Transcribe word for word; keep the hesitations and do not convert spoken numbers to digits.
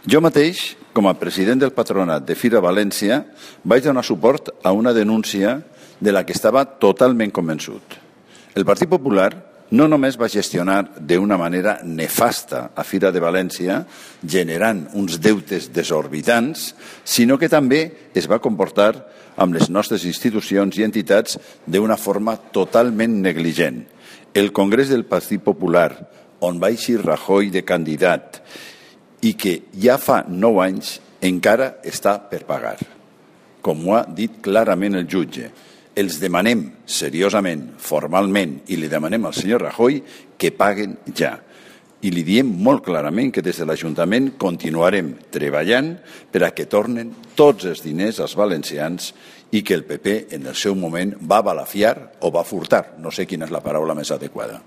Jo mateix, com a president del patronat de Fira València, vaig donar suport a una denúncia de la que estava totalment convençut. El Partit Popular no només va gestionar d'una manera nefasta a Fira de València, generant uns deutes desorbitants, sinó que també es va comportar amb les nostres institucions i entitats d'una forma totalment negligent. El Congrés del Partit Popular, on va eixir Rajoy de candidat i que ja fa nou anys encara està per pagar. Com ho ha dit clarament el jutge, els demanem seriosament, formalment, i li demanem al senyor Rajoy que paguen ja. I li diem molt clarament que des de l'Ajuntament continuarem treballant per a que tornen tots els diners als valencians i que el P P en el seu moment va balafiar o va furtar, no sé quina és la paraula més adequada.